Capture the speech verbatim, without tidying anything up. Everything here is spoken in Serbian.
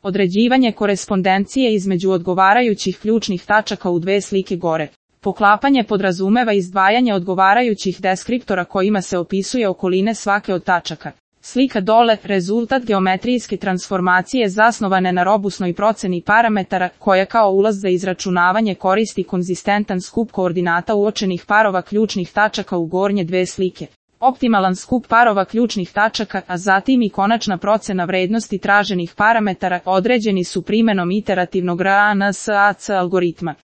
Određivanje korespondencije između odgovarajućih ključnih tačaka u dve slike gore. Poklapanje podrazumeva izdvajanje odgovarajućih deskriptora kojima se opisuje okoline svake od tačaka. Slika dole, rezultat geometrijske transformacije zasnovane na robusnoj proceni parametara, koja kao ulaz za izračunavanje koristi konzistentan skup koordinata uočenih parova ključnih tačaka u gornje dve slike. Optimalan skup parova ključnih tačaka, a zatim i konačna procena vrednosti traženih parametara određeni su primenom iterativnog R A N S A C algoritma.